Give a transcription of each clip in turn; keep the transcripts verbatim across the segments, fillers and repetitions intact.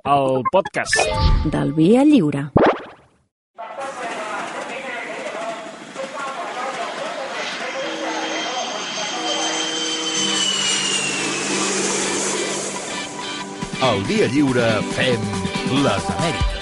el podcast del Via Lliure. Al Via Lliure fem les Amèriques.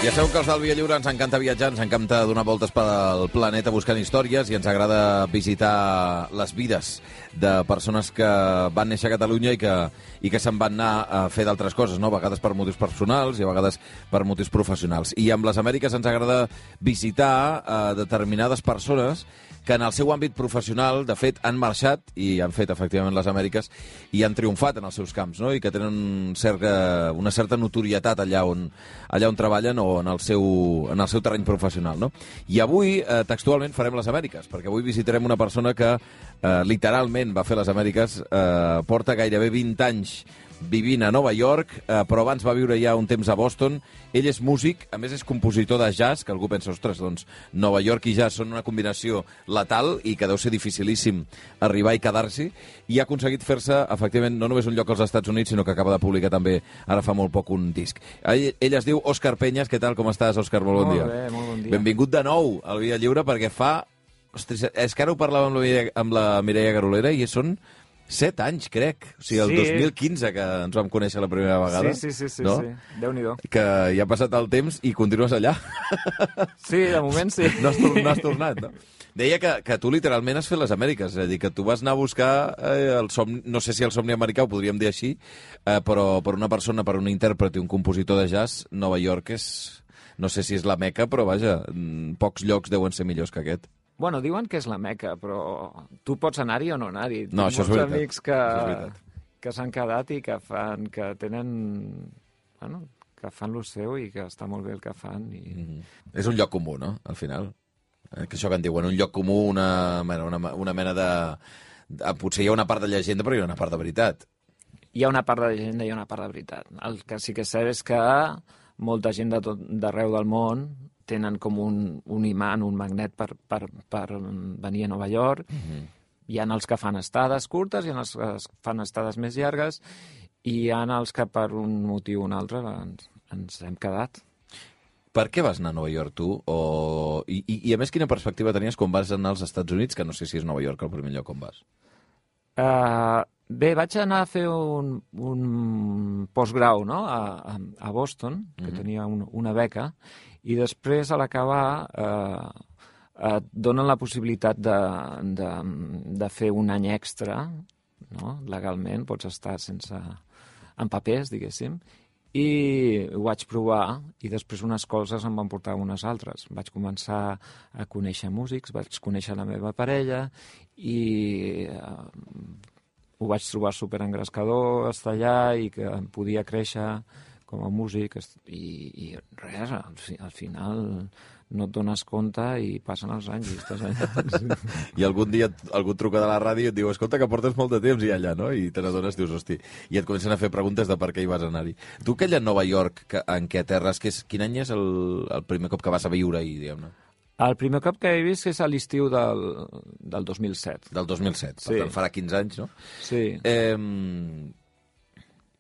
Ja sabeu que els del Via Lliure ens encanta viatjar, ens encanta donar voltes pel planeta buscant històries i ens agrada visitar les vides de persones que van néixer a Catalunya i que, i que se'n van anar a fer d'altres coses, no? A vegades per motius personals i a vegades per motius professionals. I amb les Amèriques ens agrada visitar eh, determinades persones que en el seu àmbit professional, de fet, han marxat i han fet, efectivament, les Amèriques i han triomfat en els seus camps, no? I que tenen un cert, una certa notorietat allà on, allà on treballen o en el seu, en el seu terreny professional, no? I avui, eh, textualment, farem les Amèriques, perquè avui visitarem una persona que eh, literalment va fer les Amèriques, eh, porta gairebé vint anys vivint a Nova York, eh, però abans va viure ja un temps a Boston. Ell és músic, a més és compositor de jazz, que algú pensa, ostres, doncs Nova York i jazz són una combinació letal i que deu ser dificilíssim arribar i quedar-s'hi, i ha aconseguit fer-se, efectivament, no només un lloc als Estats Units, sinó que acaba de publicar també, ara fa molt poc, un disc. Ell, ell es diu Òscar Peñas. Què tal, com estàs, Òscar? Molt bon molt dia. Molt bé, molt bon dia. Benvingut de nou al Via Lliure, perquè fa... Ostres, és que ara ho parlàvem amb la, amb la Mireia Garolera i són set anys, crec. O sigui, el sí. dos mil quinze que ens vam conèixer la primera vegada. Sí, sí, sí, sí, no? sí. Déu-n'hi-do. Que ja ha passat el temps i continues allà. Sí, de moment sí. No has, no has tornat, no? Deia que, que tu literalment has fet les Amèriques, és a dir, que tu vas anar a buscar eh, el somni, no sé si el somni americà ho podríem dir així, eh, però per una persona, per un intèrpret i un compositor de jazz, Nova York és... No sé si és la Meca, però vaja, pocs llocs deuen ser millors que aquest. Bueno, diuen que és la Meca, però tu pots anar-hi o no anar-hi. No, això és veritat. Amics que, Això és veritat. que s'han quedat i que fan, que tenen, bueno, que fan lo seu i que està molt bé el que fan. I... Mm-hmm. És un lloc comú, no?, al final. Eh, que això que en diuen, un lloc comú, una, una, una mena de, de... Potser hi ha una part de llegenda, però hi ha una part de veritat. Hi ha una part de llegenda i una part de veritat. El que sí que és cert és que molta gent de tot, d'arreu del món tenen com un, un imant, un magnet per, per, per venir a Nova York. Mm-hmm. Hi ha els que fan estades curtes, hi ha els que fan estades més llargues i hi ha els que per un motiu o un altre ens, ens hem quedat. Per què vas anar a Nova York, tu? O... I, i, I a més, quina perspectiva tenies quan vas anar als Estats Units, que no sé si és Nova York el primer lloc on vas? Uh, bé, vaig anar a fer un, un postgrau, no?, a, a Boston, que mm-hmm. tenia un, una beca, i després, a l'acabar, eh, et donen la possibilitat de, de, de fer un any extra, no?, legalment, pots estar sense... en papers, diguéssim, i ho vaig provar, i després unes coses em van portar unes altres. Vaig començar a conèixer músics, vaig conèixer la meva parella, i eh, ho vaig trobar superengrescador estar allà i que em podia créixer com a músic, i, i res, al, fi, al final no et dones compte i passen els anys i estàs allà. I algun dia algú et truca de la ràdio i et diu, escolta, que portes molt de temps i allà, no? I te n'adones, dius, hosti, i et comencen a fer preguntes de per què hi vas anar-hi. Tu, aquella Nova York que, en què aterres, que és, quin any és el, el primer cop que vas a viure-hi, diguem-ne? El primer cop que he vist és a l'estiu del, del dos mil set. Del dos mil set, sí. Per tant farà quinze anys, no? Sí. Eh,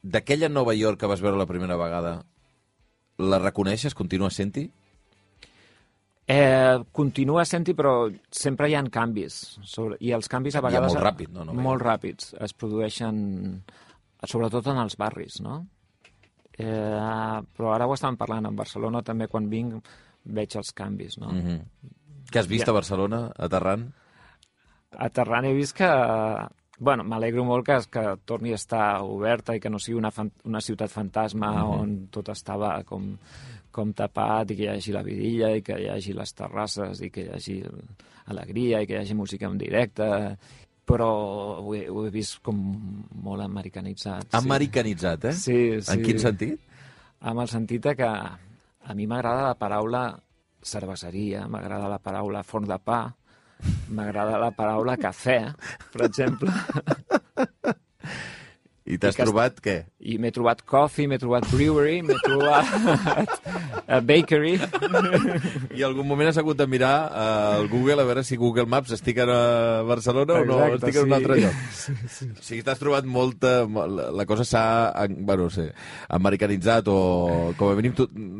d'aquella Nova York que vas veure la primera vegada, la reconeixes? Continua sent-hi? Eh, continua sent-hi, però sempre hi ha canvis. Sobre, I els canvis a vegades... I molt ràpid, no? no molt ràpids. Es produeixen, sobretot en els barris, no? Eh, però ara ho estàvem parlant. En Barcelona també, quan vinc, veig els canvis, no? Mm-hmm. Què has vist a Barcelona, aterrant? Aterrant he vist que... Bueno, m'alegro molt que, que torni a estar oberta i que no sigui una, fan, una ciutat fantasma mm-hmm. on tot estava com, com tapat i que hi hagi la vidilla i que hi hagi les terrasses i que hi hagi alegria i que hi hagi música en directe, però ho he, ho he vist com molt americanitzat. Americanitzat, eh? Sí, sí. En quin sentit? Amb el sentit que a mi m'agrada la paraula cerveseria, m'agrada la paraula forn de pa, m'agrada la paraula cafè, per exemple. I t'has trobat què? I m'he trobat coffee, m'he trobat brewery, m'he trobat uh, bakery. I algun moment has hagut de mirar uh, el Google a veure si Google Maps estic a Barcelona Exacte, o no, estic sí. en un altre lloc. Sí, sí. O sigui, t'has trobat molta... La cosa s'ha, bueno, no sé, americanitzat o, com a mínim,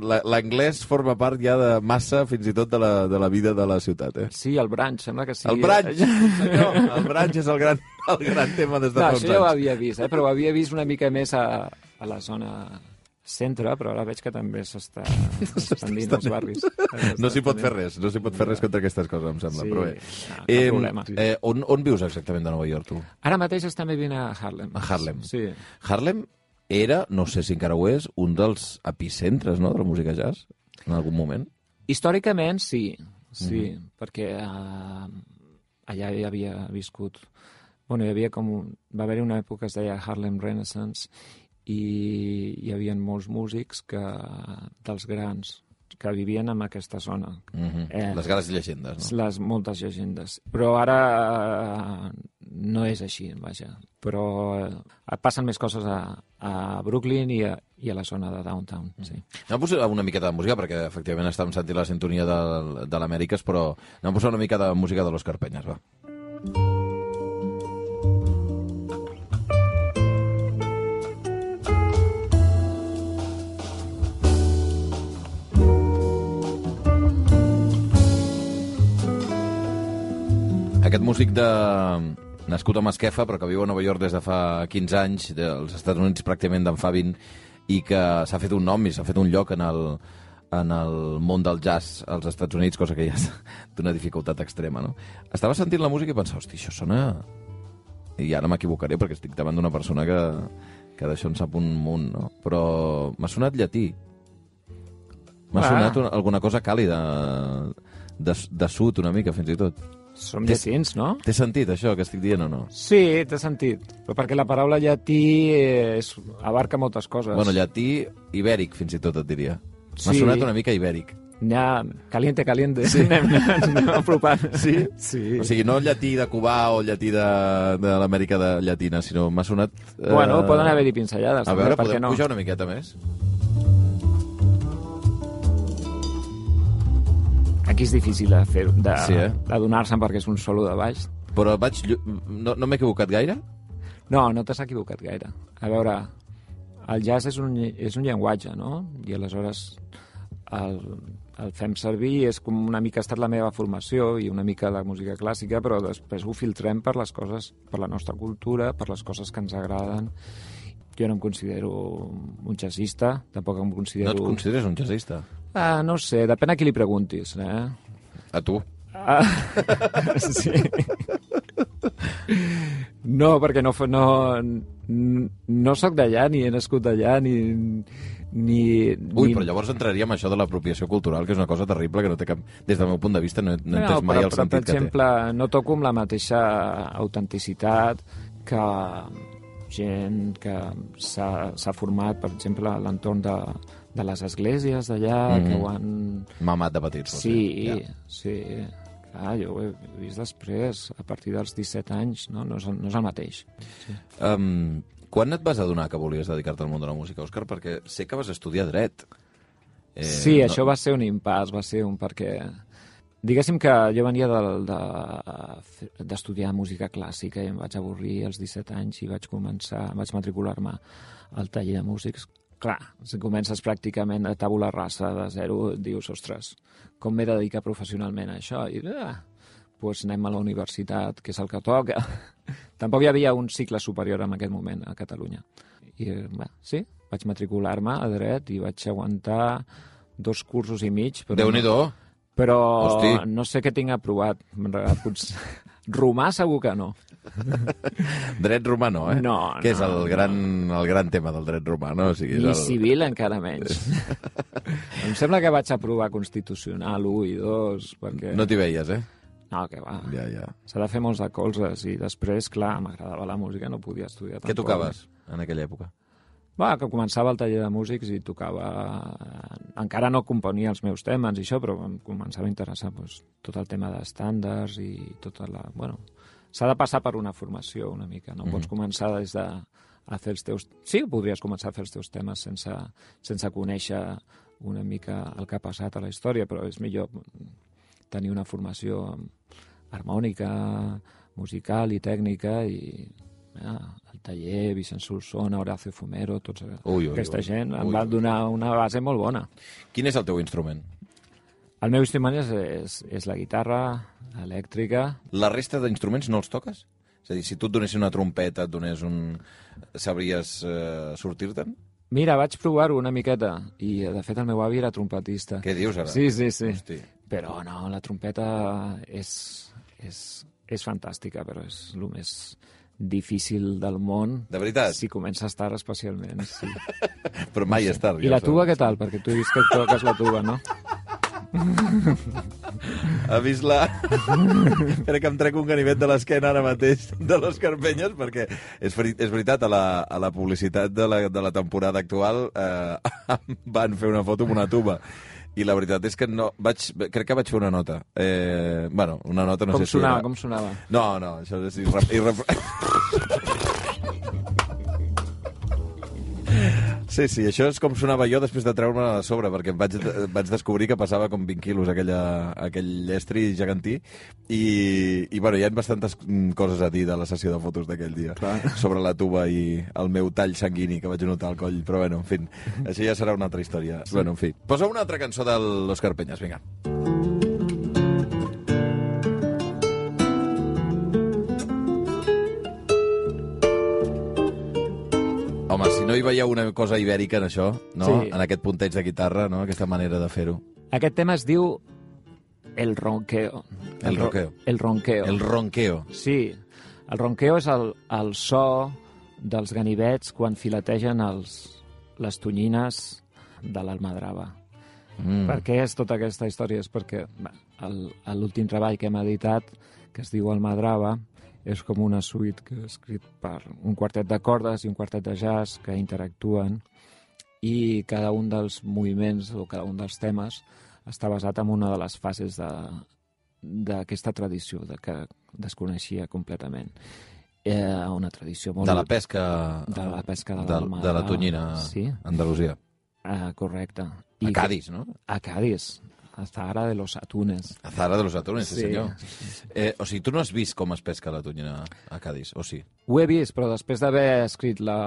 l'anglès forma part ja de massa, fins i tot, de la, de la vida de la ciutat, eh? Sí, el brunch, sembla que sí. El brunch, senyor, el brunch és el gran, el gran tema des de no, fa uns anys. Això ja ho havia vist, eh? Però ho havia vist una mica més a, a la zona centre, però ara veig que també s'està expandint als barris. No s'hi pot fer res, no s'hi pot fer res contra aquestes coses, em sembla. Sí, però bé. no, cap eh, problema. Eh, on, on vius exactament de Nova York, tu? Ara mateix estem vivint a Harlem. A Harlem. Sí. Harlem era, no sé si encara ho és, un dels epicentres, no?, de la música jazz, en algun moment. Històricament, sí, sí, Mhm. perquè uh, allà hi havia viscut... Bueno, hi havia com... Un... Va haver-hi una època que es deia Harlem Renaissance i hi havia molts músics que, dels grans que vivien en aquesta zona. Mhm. Eh, les grans llegendes, no? Les moltes llegendes. Però ara uh, no és així, vaja. Però uh, passen més coses a, a Brooklyn i a, i a la zona de downtown, sí. Anem a posar una miqueta de música, perquè efectivament estàvem sentint la sintonia de, de l'Amèriques, però anem a posar una mica de música de l'Òscar Peñas, va. Aquest músic de... nascut a Masquefa, però que viu a Nova York des de fa quinze anys, dels Estats Units pràcticament d'en fa vint, i que s'ha fet un nom i s'ha fet un lloc en el, en el món del jazz als Estats Units, cosa que ja és d'una dificultat extrema, no? Estava sentint la música i pensava, hosti, això sona... I ara m'equivocaré perquè estic davant d'una persona que, que d'això en sap un munt, no? Però m'ha sonat llatí. M'ha ah. sonat una, alguna cosa càlida, de, de sud una mica, fins i tot. Som llatins, no? Té sentit, això, que estic dient, o no? Sí, té sentit. Però perquè la paraula llatí és, abarca moltes coses. Bueno, llatí ibèric, fins i tot, et diria. Sí. M'ha sonat una mica ibèric. Ja, caliente, caliente. Sí. Anem, anem apropant. Sí? Sí. O sigui, no llatí de Cubà o llatí de, de l'Amèrica de Llatina, sinó m'ha sonat... Eh... Bueno, poden haver-hi pinzellades. A veure, podem no? pujar una miqueta més? Aquí és difícil de fer, de, sí, eh? de donar-se'n perquè és un solo de baix. Però vaig... No, no m'he equivocat gaire? No, no t'has equivocat gaire. A veure, el jazz és un, és un llenguatge, no? I aleshores el, el fem servir, és com una mica ha estat la meva formació i una mica de música clàssica, però després ho filtrem per les coses, per la nostra cultura, per les coses que ens agraden. Jo no em considero un jazzista, tampoc em considero... No et consideres un jazzista? Ah, no sé, depèn a qui li preguntis, eh? A tu? Ah, sí. No, perquè no, no, no sóc d'allà, ni he nascut d'allà, ni... Ni, Ui, ni... però llavors entraríem això de l'apropiació cultural, que és una cosa terrible, que no té cap... Des del meu punt de vista no, no he entès no, mai però, el però, sentit per exemple, que té. No toco amb la mateixa autenticitat que gent que s'ha format, per exemple, a l'entorn de, de les esglésies d'allà, mm -hmm. que ho han... Mamat de petits. Sí, ja. sí. Clar, jo ho he vist després, a partir dels disset anys, no, no, és, el, no és el mateix. Sí. Um, quan et vas adonar que volies dedicar-te al món de la música, Òscar? Perquè sé que vas estudiar dret. Eh, sí, no... això va ser un impàs, va ser un perquè... Diguéssim que jo venia d'estudiar de, de, música clàssica i em vaig avorrir als disset anys i vaig començar, vaig matricular-me al taller de músics. Clar, si comences pràcticament a tabula rasa de zero, dius, ostres, com m'he de dedicar professionalment a això? I, ah, doncs anem a la universitat, que és el que toca. Tampoc hi havia un cicle superior en aquest moment a Catalunya. I, bé, sí, vaig matricular-me a dret i vaig aguantar dos cursos i mig. Déu-n'hi-do! No, però Hosti. No sé què tinc aprovat. Potser... Romà segur que no. Dret romà no, eh? No, que és no, el gran, el gran tema del dret romà, no? O sigui, és I el... civil encara menys. Em sembla que vaig aprovar Constitucional u i dos, perquè... No t'hi veies, eh? No, que va. Ja, ja. S'ha de fer molts de colzes i després, clar, m'agradava la música, no podia estudiar tampoc. Què tocaves en aquella època? Va, que començava el taller de músics i tocava... Encara no componia els meus temes i això, però em començava a interessar doncs, tot el tema d'estàndards i tota la... Bueno, s'ha de passar per una formació una mica, no? Mm-hmm. Pots començar des de a fer els teus... Sí, podries començar a fer els teus temes sense, sense conèixer una mica el que ha passat a la història, però és millor tenir una formació harmònica, musical i tècnica, i ja, el taller, Vicent Solsona, Horacio Fumero, tots ui, ui, aquesta ui, gent ui, em van donar una base molt bona. Quin és el teu instrument? El meu instrument és, és, és la guitarra elèctrica. La resta d'instruments no els toques? És a dir, si tu et donessis una trompeta, et donés un... sabries eh, sortir-te'n? Mira, vaig provar-ho una miqueta, i de fet el meu avi era trompetista. Què dius ara? Sí, sí, sí. Hosti. Però no, la trompeta és, és, és fantàstica, però és el més difícil del món. De veritat? Si comences tard, especialment, sí. Però mai és tard. I la tuba, què tal? Perquè tu dius que toques la tuba, no? Ha vist la... Crec que em trec un ganivet de l'esquena ara mateix de l'Òscar Penyes, perquè és, veri... és veritat, a la, a la publicitat de la, de la temporada actual eh, van fer una foto amb una tuba. I la veritat és que no... Vaig, crec que vaig fer una nota. Eh, bueno, una nota no com sé si sonava, era... Com sonava? No, no, això és irre... irre... Sí, sí, això és com sonava jo després de treure-me a sobre, perquè vaig, vaig descobrir que passava com vint quilos aquella, aquell estri gegantí, i, i bueno, hi ha bastantes coses a dir de la sessió de fotos d'aquell dia. Clar. Sobre la tuba i el meu tall sanguini que vaig notar al coll, però bueno, en fi, això ja serà una altra història. Sí. Bueno, en fi. Posa una altra cançó de l'Òscar Penyes, vinga. Home, si no hi veieu una cosa ibèrica en això, no? Sí. En aquest punteig de guitarra, no? Aquesta manera de fer-ho. Aquest tema es diu El Ronqueo. El, el Ronqueo. El Ronqueo. El Ronqueo. Sí. El Ronqueo és el, el so dels ganivets quan filetegen els, les tonyines de l'almadrava. Mm. Per què és tota aquesta història? És perquè l'últim treball que hem editat, que es diu Almadrava, és com una suite que he escrit per un quartet de cordes i un quartet de jazz que interactuen, i cada un dels moviments o cada un dels temes està basat en una de les fases d'aquesta tradició de que desconeixia completament. Eh, una tradició molt... De la pesca... De la pesca de, de, de la tonyina, sí? Andalusia. Uh, correcte. I a Cádiz, no? A Cádiz. A Zahara de los Atunes. A Zahara de los Atunes, sí, sí senyor. Sí, sí. Eh, o sigui, tu no has vist com es pesca la tonyina a Cádiz, o sí? Ho he vist, però després d'haver escrit la...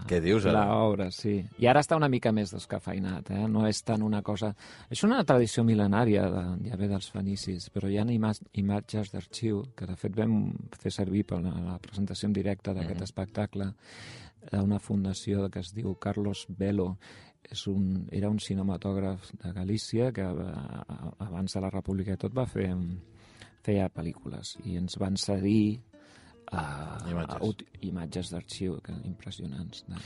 Què dius, ara? L'obra, sí. I ara està una mica més descafeinat, eh? No és tant una cosa... És una tradició mil·lenària, de, ja ve dels fenicis, però hi ha ima imatges d'arxiu que, de fet, vam fer servir per la, la presentació en directe d'aquest mm-hmm. espectacle d'una fundació que es diu Carlos Velo. És un, era un cinematògraf de Galícia que abans de la República i tot va fer feia pel·lícules i ens van cedir uh, imatges, uh, imatges d'arxiu impressionants. De,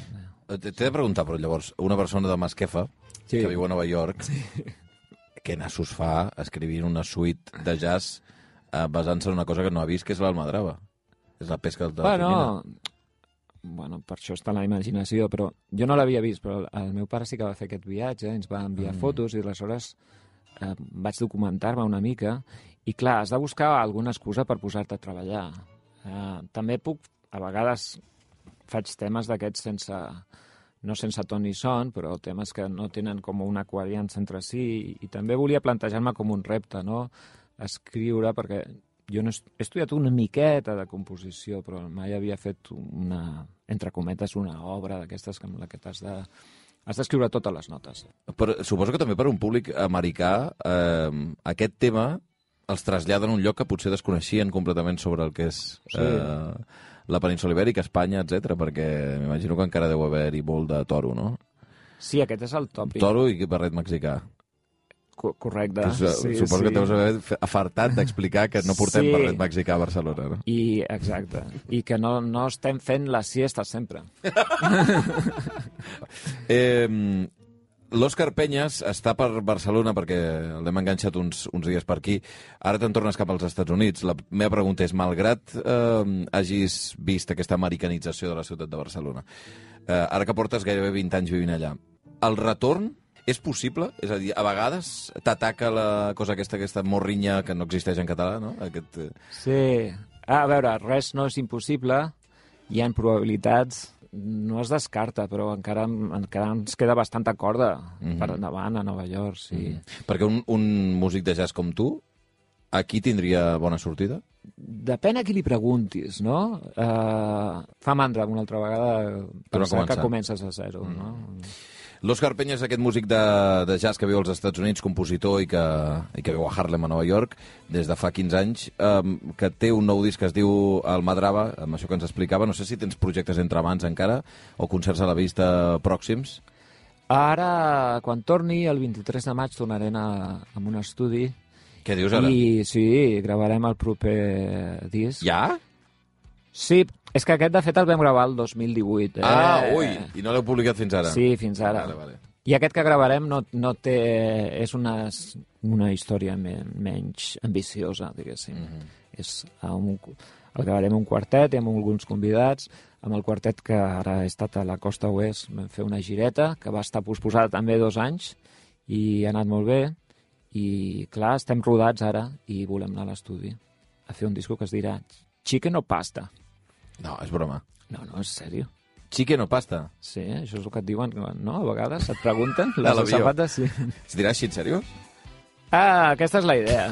de... T'he de preguntar, però llavors, una persona de Masquefa sí. que viu a Nova York, sí. què nassos fa escrivint una suite de jazz uh, basant-se en una cosa que no ha vist, que és l'almadrava? És la pesca de la bueno, tonyina. Bueno, per això està la imaginació, però jo no l'havia vist, però el meu pare sí que va fer aquest viatge, ens va enviar mm. fotos i aleshores eh, vaig documentar-me una mica i clar, has de buscar alguna excusa per posar-te a treballar. Eh, també puc, a vegades faig temes d'aquests sense, no sense ton ni son, però temes que no tenen com una coherència entre si i, i també volia plantejar-me com un repte, no? Escriure, perquè jo no he estudiat una miqueta de composició, però mai havia fet una, entre cometes, una obra d'aquestes amb la que t'has de... Has d'escriure totes les notes. Però suposo que també per un públic americà eh, aquest tema els traslladen a un lloc que potser desconeixien completament sobre el que és sí. eh, la península Ibèrica, Espanya, etcètera, perquè m'imagino que encara deu haver-hi molt de toro, no? Sí, aquest és el tòpic. Toro i barret mexicà. Correcte. Que, sí, suposo sí. que deus haver afartat d'explicar que no portem sí. barret mexicà a Barcelona, no? I, exacte. I que no, no estem fent la siesta sempre. eh, L'Òscar Penyes està per Barcelona perquè l'hem enganxat uns, uns dies per aquí. Ara te'n tornes cap als Estats Units. La meva pregunta és, malgrat eh, hagis vist aquesta americanització de la ciutat de Barcelona, eh, ara que portes gairebé vint anys vivint allà, el retorn és possible? És a dir, a vegades t'ataca la cosa aquesta, aquesta morrinya que no existeix en català, no? Aquest... Sí. Ah, a veure, res no és impossible. Hi ha probabilitats no es descarta, però encara, encara ens queda bastanta corda mm-hmm. per endavant a Nova York, sí. Mm-hmm. Perquè un, un músic de jazz com tu, aquí tindria bona sortida? Depèn a qui li preguntis, no? Uh, fa mandra una altra vegada pensar que comences a zero, mm. no? L'Òscar Peña és aquest músic de, de jazz que viu als Estats Units, compositor i que, i que viu a Harlem, a Nova York, des de fa quinze anys, um, que té un nou disc que es diu Almadrava, amb això que ens explicava. No sé si tens projectes entre mans encara, o concerts a la vista pròxims. Ara, quan torni, el vint-i-tres de maig, tornaré a, a un estudi. Què dius ara? I sí, gravarem el proper disc. Ja? Sí, és que aquest, de fet, el vam gravar el dos mil divuit. Eh? Ah, ui, i no l'heu publicat fins ara? Sí, fins ara. Vale, vale. I aquest que gravarem no, no té... és una, una història men, menys ambiciosa, diguéssim. Mm-hmm. És un, el gravarem un quartet i amb alguns convidats, amb el quartet que ara he estat a la costa oest, vam fer una gireta, que va estar posposada també dos anys, i ha anat molt bé, i clar, estem rodats ara, i volem anar a l'estudi a fer un disco que es dirà Chicken o Pasta. No, és broma. No, no, és sèrio. Chicken o pasta? Sí, això és el que et diuen, no? A vegades et pregunten. A Les sabates, sí. Es dirà així, en sèrio? Ah, aquesta és la idea.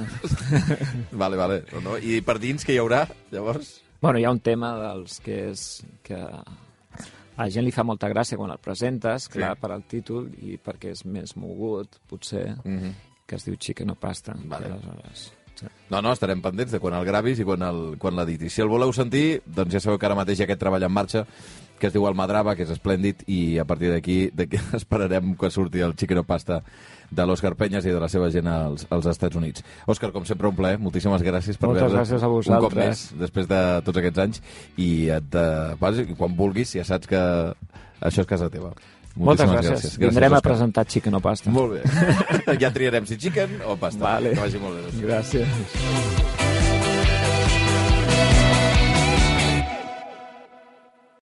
Vale, vale. No, no. I per dins què hi haurà, llavors? Bueno, hi ha un tema dels que és... que a la gent li fa molta gràcia quan el presentes, clar, sí. per al títol, i perquè és més mogut, potser, mm-hmm. que es diu Chicken o Pasta. Vale. Aleshores... Sí. No, no, estarem pendents de quan el gravis i quan l'editis. Si el voleu sentir, doncs ja sabeu que ara mateix hi ha aquest treball en marxa que es diu Almadrava, que és esplèndid, i a partir d'aquí esperarem que surti el Chicken o Pasta de l'Òscar Peñas i de la seva gent als, als Estats Units. Òscar, com sempre, un plaer. Moltíssimes gràcies per haver-nos un cop més després de tots aquests anys. I et, eh, quan vulguis, ja saps que això és casa teva. Moltes gràcies. gràcies. gràcies Vindrem Òscar. a presentar Chicken o Pasta. Molt bé. Ja triarem si chicken o pasta. Vale. Que vagi molt bé. Gràcies.